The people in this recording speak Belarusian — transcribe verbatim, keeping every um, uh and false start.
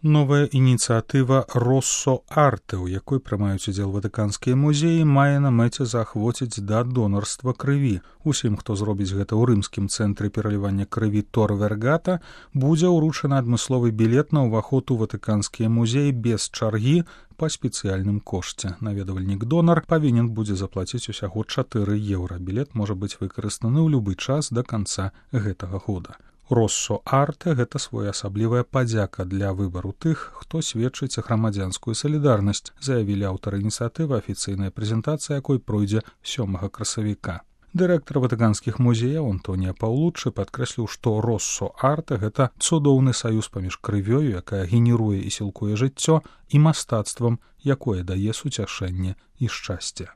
Новая ініцыятыва «Россо Арте», у якой прымаюць удзел ватыканскія музеі, мае на мэце заахвоціць да донарства крыві. Усім, хто зробіць гэта ў рымскім цэнтры пералівання крыві Тор Вергата, будзе ўручаны адмысловы білет на ўваход у ватыканскія музеі без чаргі па спецыяльным кошце. Наведвальнік-донар павінен будзе заплаціць усяго чатыры еўра. Білет можа быць выкарыстаны ў любы час да канца гэтага года. «Россо Арте» — гэта своеасаблівая падзяка для выбару тых, хто сведчыць грамадзянскую салідарнасць, заявілі аўтары ініцыятывы, афіцыйная прэзентацыя якой пройдзе сёмага красавіка. Дырэктар ватыканскіх музеяў Антонія Паўлуччы падкрэсліў, што «Россо Арте» — гэта цудоўны саюз паміж крывёю, якая генеруе і сілкуе жыццё, і мастацтвам, якое дае суцяшэнне і шчасце.